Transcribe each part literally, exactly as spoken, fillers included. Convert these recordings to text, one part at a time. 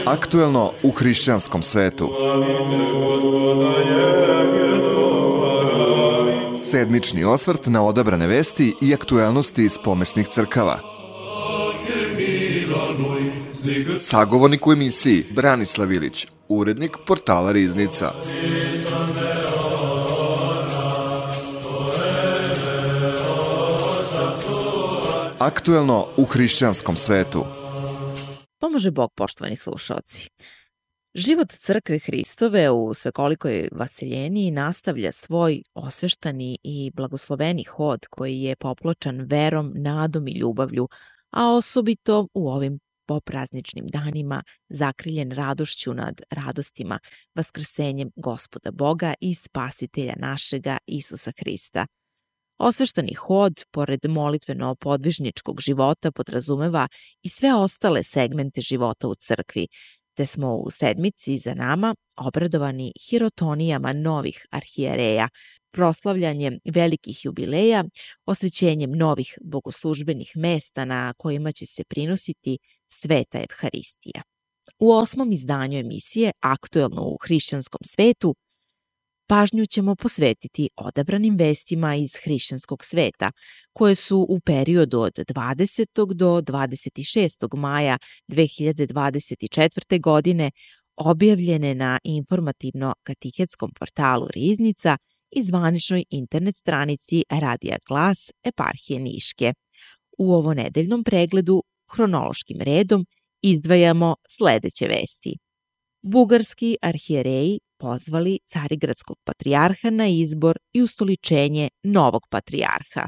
Aktuelno u hrišćanskom svetu. Sedmični osvrt na odabrane vesti i aktuelnosti iz pomesnih crkava. Sagovornik u emisiji Branislav Ilić, urednik portala Riznica. Aktuelno u hrišćanskom svetu. Pomože Bog, poštovani slušaoci. Život crkve Hristove u svekolikoj vaseljeniji nastavlja svoj osveštani i blagosloveni hod koji je popločan verom, nadom i ljubavlju, a osobito u ovim poprazničnim danima zakriljen radošću nad radostima, vaskrsenjem Gospoda Boga i Spasitelja našega Isusa Hrista. Osveštani hod, pored molitveno-podvižničkog života, podrazumeva i sve ostale segmente života u crkvi, te smo u sedmici za nama obradovani hirotonijama novih arhijereja, proslavljanjem velikih jubileja, osvećenjem novih bogoslužbenih mesta na kojima će se prinositi Sveta Evharistija. U osmom izdanju emisije Aktuelno u hrišćanskom svetu pažnju ćemo posvetiti odabranim vestima iz hrišćanskog sveta, koje su u periodu od dvadesetog do dvadeset šestog maja dve hiljade dvadeset četvrte. godine objavljene na informativno-katihetskom portalu Riznica i zvaničnoj internet stranici Radija Glas Eparhije Niške. U ovonedeljnom pregledu hronološkim redom izdvajamo sledeće vesti. Bugarski arhijereji pozvali Carigradskog patrijarha na izbor i ustoličenje novog patrijarha.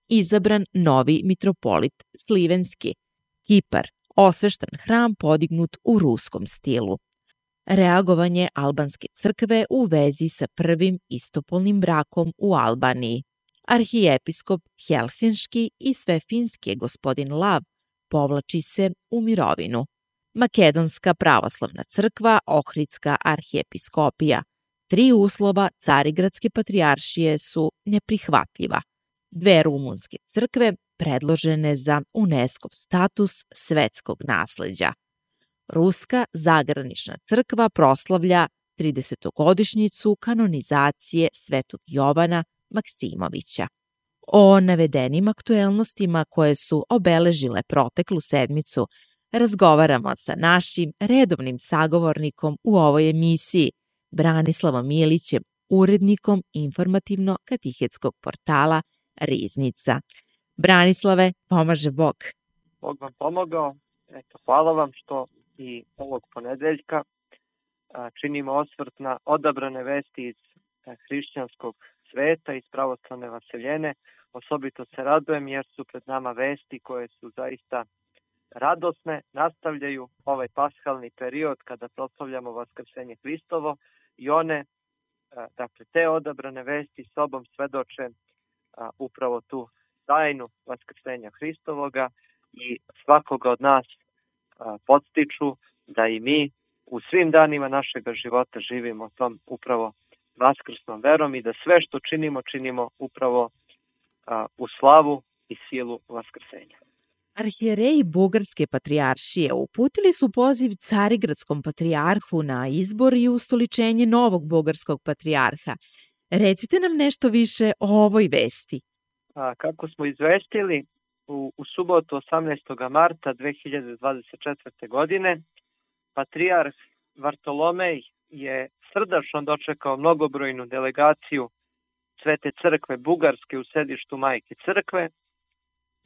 Izabran novi mitropolit Slivenski. Kipar, osveštan hram podignut u ruskom stilu. Reagovanje albanske crkve u vezi sa prvim istopolnim brakom u Albaniji. Arhijepiskop Helsinški i Svefinski gospodin Lav povlači se u mirovinu. Makedonska pravoslavna crkva, Ohridska arhijepiskopija. Tri uslova Carigradske patrijaršije su neprihvatljiva. Dve rumunske crkve predložene za UNESCO-v status svetskog nasleđa. Ruska zagranična crkva proslavlja tridesetogodišnjicu kanonizacije Svetog Jovana Maksimovića. O navedenim aktuelnostima koje su obeležile proteklu sedmicu razgovaramo sa našim redovnim sagovornikom u ovoj emisiji, Branislavom Ilićem, urednikom informativno-katihetskog portala Riznica. Branislave, pomaže Bog. Bog vam pomogao. Eto, hvala vam što i ovog ponedeljka činimo osvrt na odabrane vesti iz hrišćanskog sveta, iz pravoslavne vaseljene. Osobito se radujem jer su pred nama vesti koje su zaista radosne, nastavljaju ovaj pashalni period kada proslavljamo Vaskrsenje Hristovo i one, dakle, te odabrane vesti sobom svedoče upravo tu tajnu Vaskrsenja Hristovoga i svakoga od nas podstiču da i mi u svim danima našega života živimo tom upravo vaskrsnom verom i da sve što činimo, činimo upravo u slavu i silu Vaskrsenja. Arhijereji Bugarske patrijaršije uputili su poziv Carigradskom patrijarhu na izbor i ustoličenje novog bugarskog patrijarha. Recite nam nešto više o ovoj vesti. A, kako smo izvestili, u, u subotu osamnaestog marta dve hiljade dvadeset četvrte. godine patrijarh Vartolomej je srdačno dočekao mnogobrojnu delegaciju Svete crkve Bugarske u sedištu Majke crkve.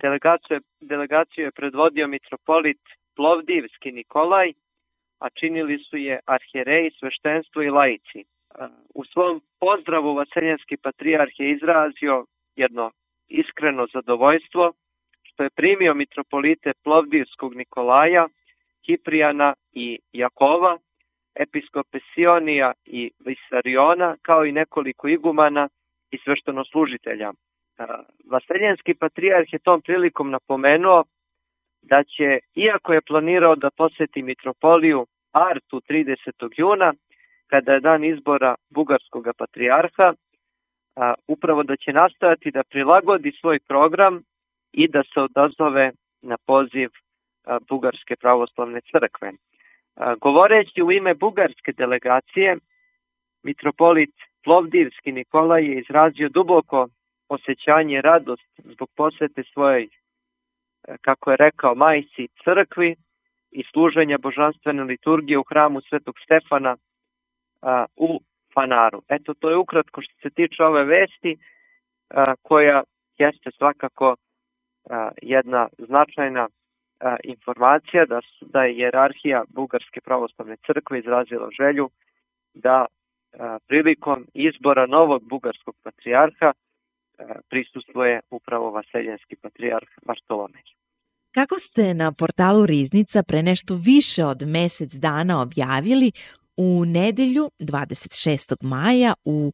Delegaciju, delegaciju je predvodio mitropolit Plovdivski Nikolaj, a činili su je arhijereji, sveštenstvo i laici. U svom pozdravu vaseljenski patrijarh je izrazio jedno iskreno zadovoljstvo što je primio mitropolite Plovdivskog Nikolaja, Kiprijana i Jakova, episkope Sionija i Visariona, kao i nekoliko igumana i sveštenoslužitelja. Vaseljenski patrijarh je tom prilikom napomenuo da će, iako je planirao da poseti mitropoliju Artu tridesetog juna, kada je dan izbora bugarskog patrijarha, upravo da će nastojati da prilagodi svoj program i da se odazove na poziv Bugarske pravoslavne crkve. Govoreći u ime bugarske delegacije, mitropolit Plovdivski Nikolaj je izrazio duboko osjećanje i radost zbog posete svojoj, kako je rekao, majci crkvi i služenja božanstvene liturgije u hramu Svetog Stefana a, u Fanaru. Eto, to je ukratko što se tiče ove vesti, a, koja jeste svakako a, jedna značajna a, informacija da, su, da je hijerarhija Bugarske pravoslavne crkve izrazila želju da a, prilikom izbora novog bugarskog patrijarha prisustvuje upravo vaseljenski patrijarh Vartolomej. Kako ste na portalu Riznica pre nešto više od mesec dana objavili, u nedelju dvadeset šestog maja u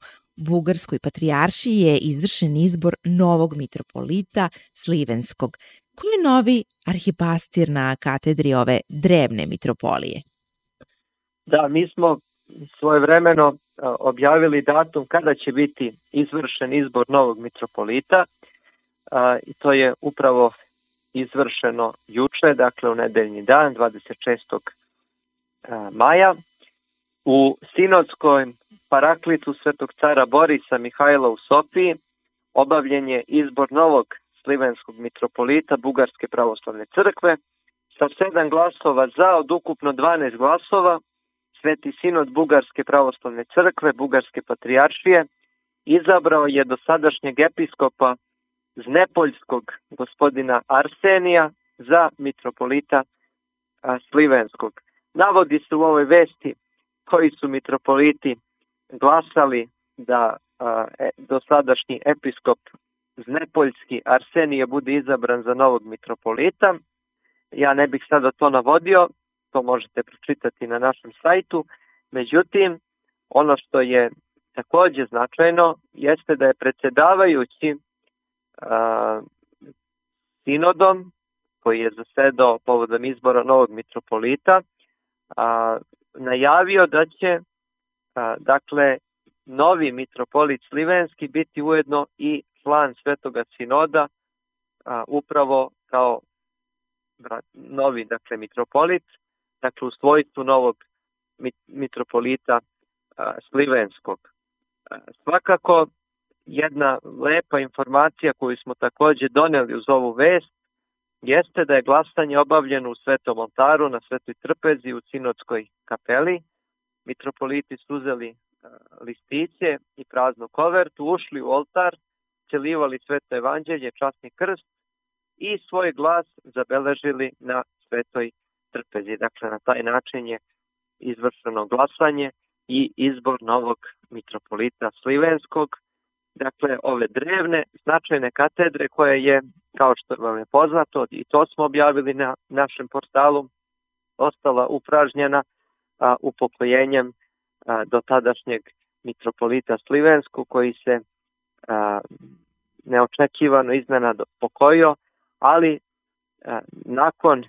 Bugarskoj patrijaršiji je izvršen izbor novog mitropolita Slivenskog. Ko je novi arhipastir na katedri ove drevne mitropolije? Da, mi smo svojevremeno objavili datum kada će biti izvršen izbor novog mitropolita i to je upravo izvršeno juče, dakle u nedeljni dan, dvadeset šestog maja. U sinodskoj paraklitu Svetog cara Borisa Mihajla u Sofiji obavljen je izbor novog slivenskog mitropolita Bugarske pravoslavne crkve sa sedam glasova za od ukupno dvanaest glasova. Sveti sinod Bugarske pravoslavne crkve, Bugarske patrijaršije, izabrao je dosadašnjeg episkopa Znepoljskog gospodina Arsenija za mitropolita a, Slivenskog. Navodi se u ovoj vesti koji su mitropoliti glasali da a, e, dosadašnji episkop Znepoljski Arsenije bude izabran za novog mitropolita. Ja ne bih sada to navodio, to možete pročitati na našem sajtu. Međutim, ono što je takođe značajno jeste da je predsjedavajući a, sinodom koji je zasedao povodom izbora novog mitropolita a, najavio da će a, dakle novi mitropolit Slivenski biti ujedno i član Svetoga sinoda a, upravo kao novi dakle mitropolit, dakle u svojstvu novog mitropolita a, Slivenskog. A, svakako jedna lepa informacija koju smo takođe doneli uz ovu vest jeste da je glasanje obavljeno u Svetom oltaru na Svetoj trpezi u Sinodskoj kapeli. Mitropoliti su uzeli a, listiće i praznu kovertu, ušli u oltar, celivali Sveto evanđelje, časni krst i svoj glas zabeležili na Svetoj trpezi. Dakle, na taj način je izvršeno glasanje i izbor novog mitropolita Slivenskog. Dakle, ove drevne, značajne katedre koje je, kao što vam je poznato, i to smo objavili na našem portalu, ostala upražnjena a, upokojenjem a, do tadašnjeg mitropolita Slivenskog koji se a, neočekivano iznenada pokojio, ali a, nakon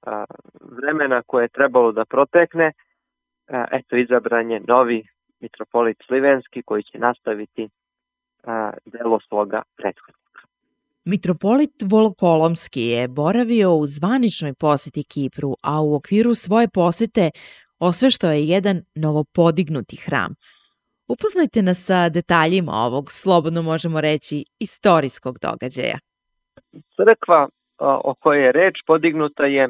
a, vremena koje je trebalo da protekne, a, eto izabran je novi mitropolit Slivenski koji će nastaviti a, delo svoga prethodnika. Mitropolit Volokolomski je boravio u zvaničnoj poseti Kipru, a u okviru svoje posete osveštao je jedan novopodignuti hram. Upoznajte nas sa detaljima ovog, slobodno možemo reći, istorijskog događaja. Crkva o kojoj je reč podignuta je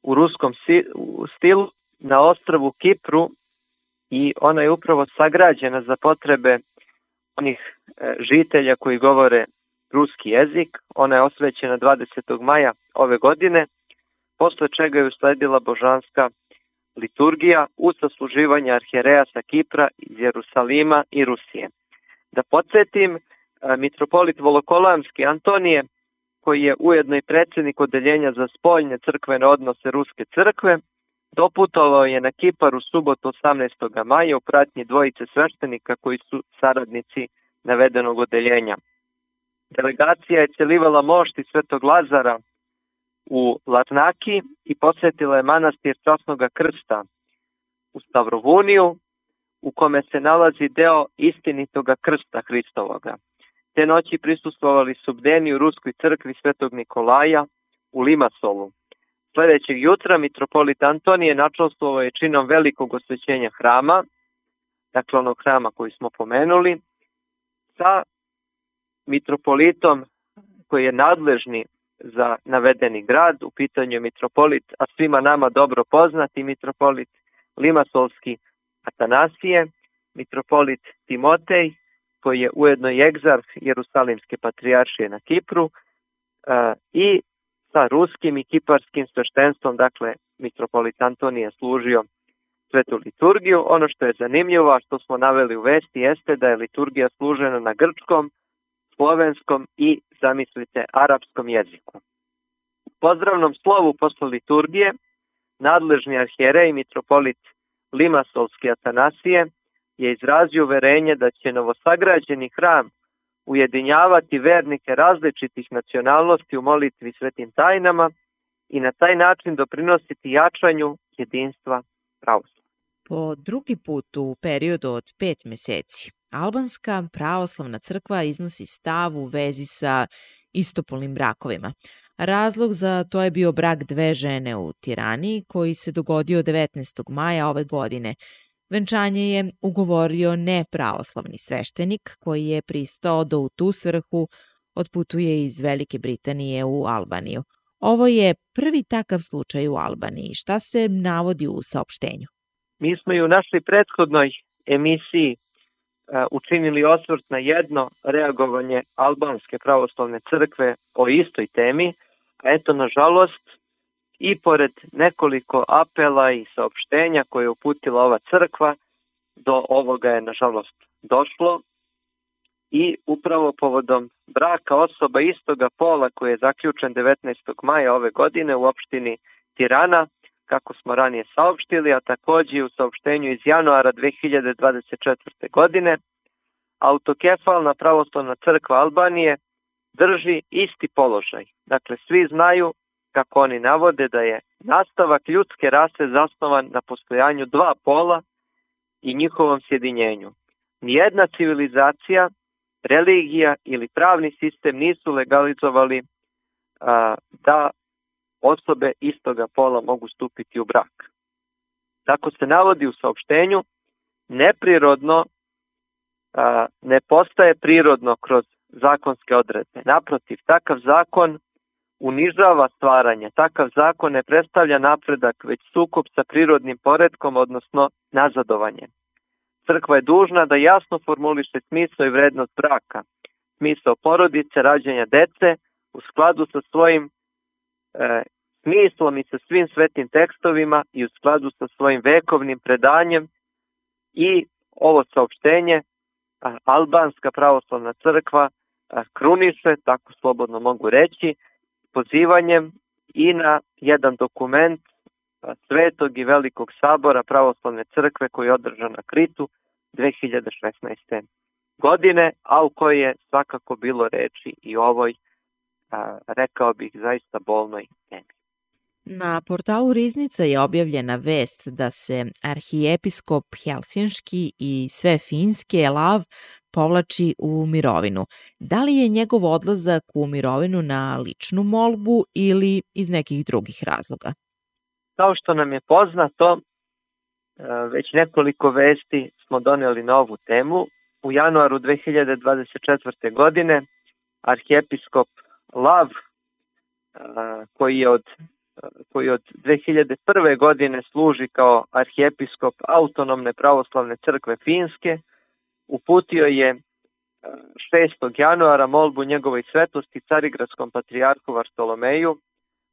u ruskom stilu na ostrvu Kipru i ona je upravo sagrađena za potrebe onih žitelja koji govore ruski jezik. Ona je osvećena dvadesetog maja ove godine, posle čega je usledila božanska liturgija uz sasluživanje arhijereja sa Kipra, iz Jerusalima i Rusije. Da podsjetim, mitropolit Volokolamski Antonije, koji je ujedno i predsjednik odeljenja za spoljne crkvene odnose Ruske crkve, doputovao je na Kipar u subotu osamnaestog maja u pratnji dvojice sveštenika koji su saradnici navedenog odeljenja. Delegacija je celivala mošti Svetog Lazara u Larnaki i posjetila je manastir Časnoga krsta u Stavrovuniju, u kome se nalazi deo istinitoga krsta Hristovoga. Te noći prisustvovali su bdeni u Ruskoj crkvi Svetog Nikolaja u Limasolu. Sljedećeg jutra mitropolit Antonije načastvovao je činom velikog osvećenja hrama, dakle onog hrama koji smo pomenuli, sa mitropolitom koji je nadležni za navedeni grad, u pitanju je mitropolit, a svima nama dobro poznati mitropolit Limasolski Atanasije, mitropolit Timotej, koji je ujedno i egzarh Jerusalimske patrijaršije na Kipru, i sa ruskim i kiparskim sveštenstvom, dakle mitropolit Antonije služio svetu liturgiju. Ono što je zanimljivo, a što smo naveli u vesti, jeste da je liturgija služena na grčkom, slovenskom i, zamislite, arapskom jeziku. U pozdravnom slovu posle liturgije nadležni arhijerej mitropolit Limasolski Atanasije je izrazio uverenje da će novosagrađeni hram ujedinjavati vernike različitih nacionalnosti u molitvi svetim tajnama i na taj način doprinositi jačanju jedinstva pravoslavlja. Po drugi put u periodu od pet meseci, albanska pravoslavna crkva iznosi stav u vezi sa istopolnim brakovima. Razlog za to je bio brak dve žene u Tirani koji se dogodio devetnaestog maja ove godine. Venčanje je ugovorio nepravoslavni sveštenik koji je pristao da u tu svrhu otputuje iz Velike Britanije u Albaniju. Ovo je prvi takav slučaj u Albaniji. Šta se navodi u saopštenju? Mi smo i u našoj prethodnoj emisiji učinili osvrt na jedno reagovanje albanske pravoslavne crkve o istoj temi, a eto, nažalost, i pored nekoliko apela i saopštenja koje je uputila ova crkva, do ovoga je, nažalost, došlo i upravo povodom braka osoba istoga pola koji je zaključen devetnaestog maja ove godine u opštini Tirana, kako smo ranije saopštili, a takođe u saopštenju iz januara dve hiljade dvadeset četvrte. godine, autokefalna pravoslavna crkva Albanije drži isti položaj. Dakle, svi znaju, kako oni navode, da je nastavak ljudske rase zasnovan na postojanju dva pola i njihovom sjedinjenju. Nijedna civilizacija, religija ili pravni sistem nisu legalizovali a, da osobe istoga pola mogu stupiti u brak. Tako se navodi u saopštenju, neprirodno a, ne postaje prirodno kroz zakonske odredbe. Naprotiv, takav zakon unižava stvaranje. Takav zakon ne predstavlja napredak, već sukob sa prirodnim poretkom, odnosno nazadovanje. Crkva je dužna da jasno formuliše smisao i vrednost braka, smisao porodice, rađanja dece, u skladu sa svojim e, smislom i sa svim svetim tekstovima i u skladu sa svojim vekovnim predanjem. I ovo saopštenje a, albanska pravoslavna crkva a, kruniše, tako slobodno mogu reći, pozivanjem i na jedan dokument Svetog i Velikog sabora pravoslavne crkve koji je održan na Kritu dve hiljade šesnaeste. godine, a u kojoj je svakako bilo reči i ovoj, a, rekao bih, zaista bolnoj temi. Na portalu Riznica je objavljena vest da se arhijepiskop Helsinški i sve finske Lav povlači u mirovinu. Da li je njegov odlazak u mirovinu na ličnu molbu ili iz nekih drugih razloga? Kao što nam je poznato, već nekoliko vesti smo doneli na ovu temu. U januaru dve hiljade dvadeset četvrte. godine arhijepiskop Lav, koji je od koji od dve hiljade prve. godine služi kao arhijepiskop autonomne pravoslavne crkve Finske, uputio je šestog januara molbu njegovoj svetosti carigradskom patrijarhu Vartolomeju,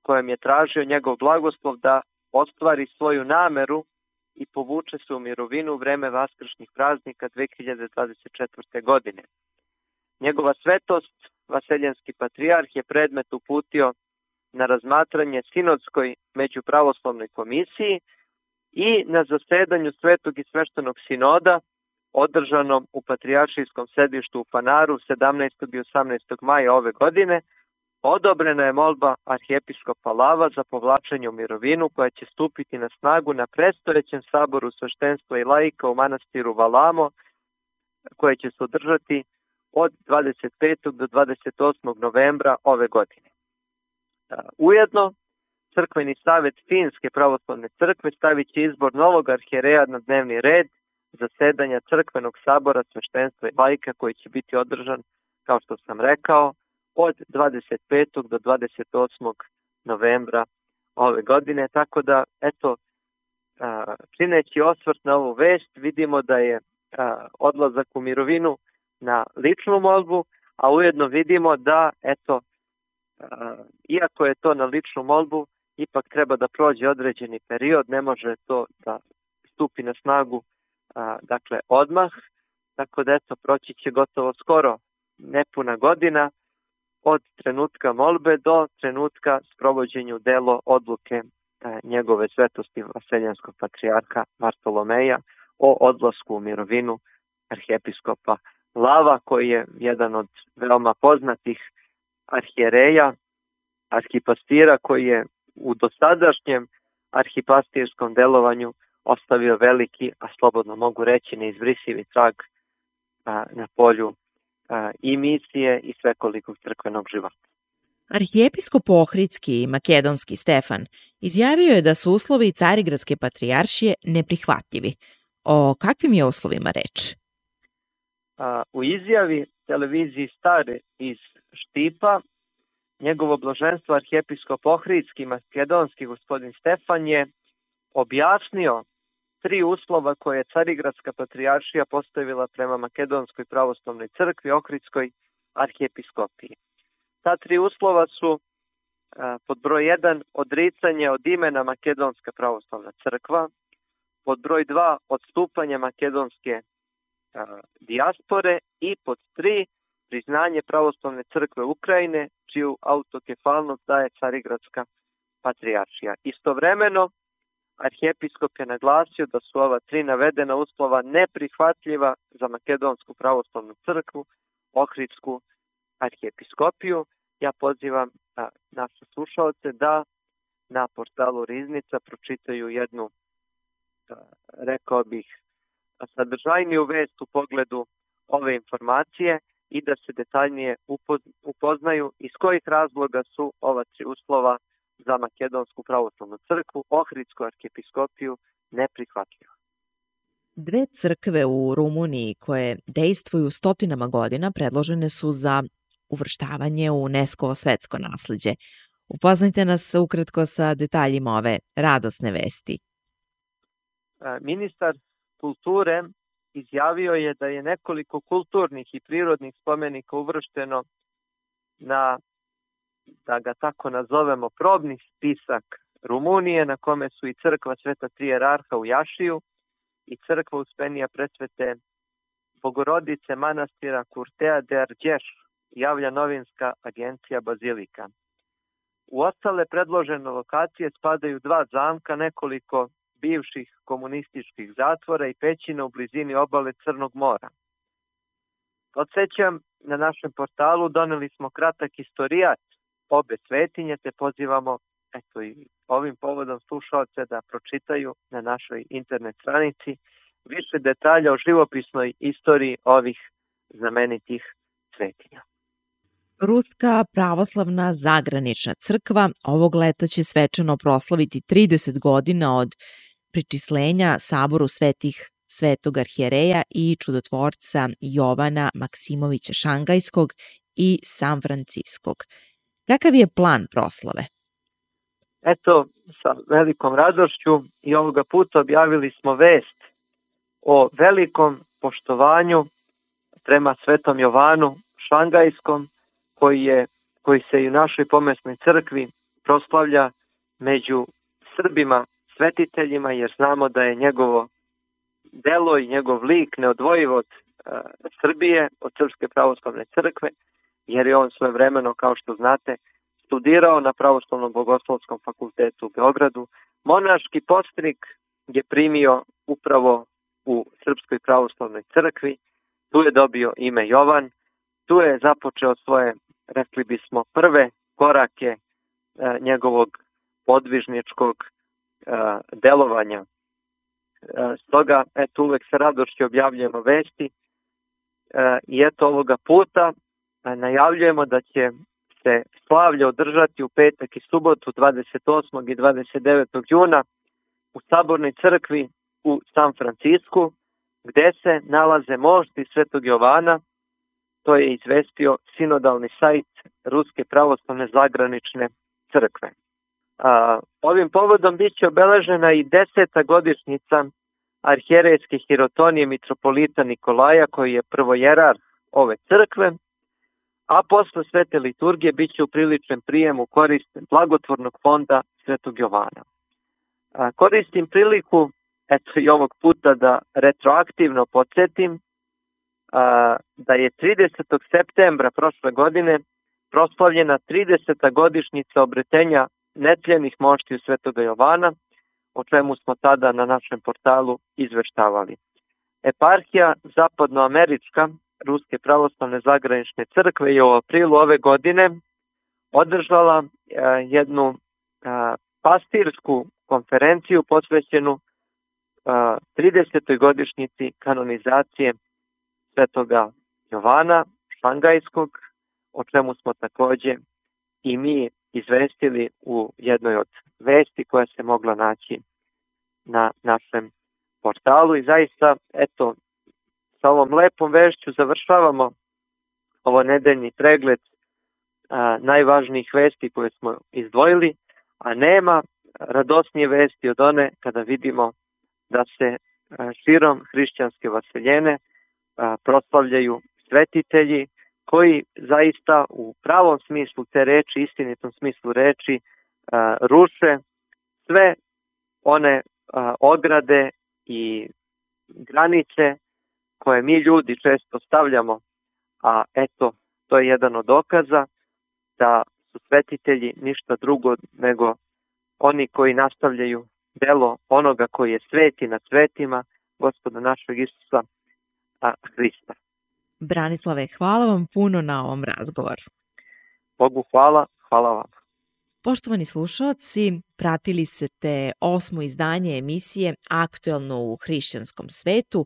kojem je tražio njegov blagoslov da ostvari svoju nameru i povuče se u mirovinu u vreme vaskršnjih praznika dve hiljade dvadeset četvrte. godine. Njegova svetost, vaseljenski patrijarh, je predmet uputio na razmatranje sinodskoj međupravoslavnoj komisiji i na zasedanju Svetog i sveštenog sinoda održanom u patrijaršijskom sedištu u Fanaru sedamnaestog i osamnaestog maja ove godine odobrena je molba arhijepiskopa Lava za povlačenje u mirovinu koja će stupiti na snagu na predstojećem saboru sveštenstva i laika u manastiru Valamo, koje će se održati od dvadeset petog do dvadeset osmog novembra ove godine. Ujedno, Crkveni savjet Finske pravoslavne crkve stavit će izbor novog arhijereja na dnevni red zasedanja Crkvenog sabora sveštenstva i laika koji će biti održan, kao što sam rekao, od dvadeset petog do dvadeset osmog novembra ove godine. Tako da, eto, čineći osvrt na ovu vest, vidimo da je odlazak u mirovinu na ličnu molbu, a ujedno vidimo da, eto, iako je to na ličnu molbu, ipak treba da prođe određeni period, ne može to da stupi na snagu, dakle, odmah, tako da, eto, proći će gotovo skoro nepuna godina od trenutka molbe do trenutka sprovođenju delo odluke njegove svetosti vaseljenskog patrijarha Vartolomeja o odlasku u mirovinu arhijepiskopa Lava, koji je jedan od veoma poznatih arhijereja, arhipastira, koji je u dosadašnjem arhipastirskom delovanju ostavio veliki, a slobodno mogu reći neizbrisivi trag a, na polju a, i misije i svekolikog crkvenog života. Arhijepiskop Ohridski i makedonski Stefan izjavio je da su uslovi Carigradske patrijaršije neprihvatljivi. O kakvim je uslovima reč? A, u izjavi televiziji Stare iz Štipa, njegovo blaženstvo arhijepiskop Ohridski i makedonski gospodin Stefan je objasnio tri uslova koje je Carigradska patrijaršija postavila prema Makedonskoj pravoslavnoj crkvi, Ohridskoj arhijepiskopiji. Ta tri uslova su a, pod broj jedan odricanje od imena Makedonska pravoslavna crkva, pod broj dva odstupanje makedonske a, dijaspore i pod tri priznanje pravoslavne crkve Ukrajine, čiju autokefalnost daje Carigradska patrijaršija. Istovremeno, arhijepiskop je naglasio da su ova tri navedena uslova neprihvatljiva za Makedonsku pravoslavnu crkvu, Ohridsku arhijepiskopiju. Ja pozivam a, naše slušalce da na portalu Riznica pročitaju jednu, a, rekao bih, sadržajniju vest u pogledu ove informacije i da se detaljnije upoznaju iz kojih razloga su ova tri uslova za Makedonsku pravoslavnu crkvu, Ohridsku arhijepiskopiju neprihvatljiva. Dve crkve u Rumuniji koje dejstvuju stotinama godina predložene su za uvrštavanje u UNESCO svetsko nasleđe. Upoznajte nas ukratko sa detaljima ove radosne vesti. Ministar kulture izjavio je da je nekoliko kulturnih i prirodnih spomenika uvršteno na, da ga tako nazovemo, probni spisak Rumunije, na kome su i crkva Sveta Tri Jerarha u Jašiju i crkva Uspenija Presvete Bogorodice manastira Curtea de Argeș, javlja novinska agencija Bazilika. U ostale predložene lokacije spadaju dva zamka, nekoliko bivših komunističkih zatvora i pećina u blizini obale Crnog mora. Podsjećam, na našem portalu doneli smo kratak istorijat obe svetinje, te pozivamo, eto, i ovim povodom slušalce da pročitaju na našoj internet stranici više detalja o živopisnoj istoriji ovih znamenitih svetinja. Ruska pravoslavna zagranična crkva ovog leta će svečano proslaviti trideset godina od pričislenja Saboru svetih Svetog arhijereja i čudotvorca Jovana Maksimovića Šangajskog i San Franciskog. Kakav je plan proslave? Eto, sa velikom radošću i ovoga puta objavili smo vest o velikom poštovanju prema Svetom Jovanu Šangajskom, koji, je, koji se i u našoj pomesnoj crkvi proslavlja među Srbima svetiteljima, jer znamo da je njegovo delo i njegov lik neodvojiv od uh, Srbije, od Srpske pravoslavne crkve, jer je on svojevremeno, kao što znate, studirao na Pravoslavnom bogoslovskom fakultetu u Beogradu. Monaški postrik je primio upravo u Srpskoj pravoslavnoj crkvi, tu je dobio ime Jovan, tu je započeo svoje, rekli bismo, prve korake uh, njegovog podvižničkog uh, delovanja. Stoga, eto, uvek sa radošću objavljujemo vesti i eto ovoga puta najavljujemo da će se slavlje održati u petak i subotu dvadeset osmog i dvadeset devetog juna u Sabornoj crkvi u San Francisku, gde se nalaze mošti Svetog Jovana. To je izvestio sinodalni sajt Ruske pravoslavne zagranične crkve. A, ovim povodom bit će obeležena i deseta godišnjica arhijerejske hirotonije mitropolita Nikolaja, koji je prvojerar ove crkve, a posle svete liturgije bit će upriličen prijem u korist blagotvornog fonda Svetog Jovana. A, koristim priliku, eto i ovog puta, da retroaktivno podsjetim a, da je tridesetog septembra prošle godine proslavljena trideseta godišnjica obretenja netljenih moštiju Svetoga Jovana, o čemu smo tada na našem portalu izveštavali. Eparhija zapadnoamerička Ruske pravoslavne zagranične crkve je u aprilu ove godine održala a, jednu a, pastirsku konferenciju posvećenu a, tridesetoj godišnjici kanonizacije Svetoga Jovana Šangajskog, o čemu smo takođe i mi izvestili u jednoj od vesti koja se mogla naći na našem portalu. I zaista, eto, sa ovom lepom vešću završavamo ovo nedeljni pregled a, najvažnijih vesti koje smo izdvojili, a nema radosnije vesti od one kada vidimo da se a, širom hrišćanske vaseljene a, proslavljaju svetitelji koji zaista u pravom smislu te reči, istinitom smislu reči, a, ruše sve one a, ograde i granice koje mi ljudi često stavljamo, a eto, to je jedan od dokaza da su svetitelji ništa drugo nego oni koji nastavljaju delo onoga koji je sveti nad svetima, Gospoda našeg Isusa a, Hrista. Branislave, hvala vam puno na ovom razgovoru. Bogu hvala, hvala vam. Poštovani slušalci, pratili ste osmo izdanje emisije Aktuelno u hrišćanskom svetu,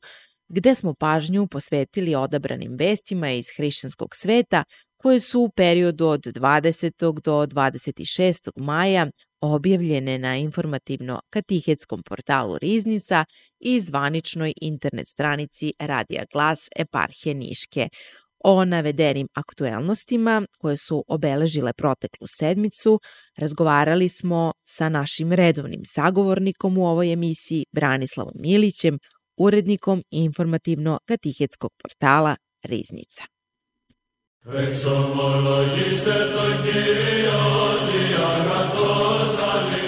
gde smo pažnju posvetili odabranim vestima iz hrišćanskog sveta koje su u periodu od dvadesetog do dvadeset šestog maja objavljene na informativno-katihetskom portalu Riznica i zvaničnoj internet stranici Radija Glas Eparhije Niške. O navedenim aktuelnostima koje su obeležile proteklu sedmicu razgovarali smo sa našim redovnim sagovornikom u ovoj emisiji Branislavom Milićem, urednikom informativno-katihetskog portala Riznica.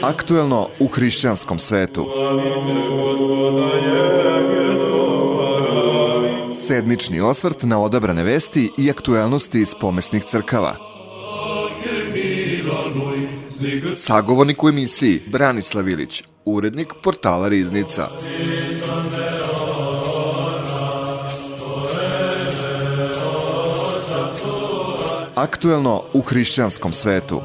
Aktuelno u hrišćanskom svetu. Sedmični osvrt na odabrane vesti i aktuelnosti iz pomesnih crkava. Sagovornik u emisiji Branislav Ilić, urednik portala Riznica. Aktuelno u hrišćanskom svetu.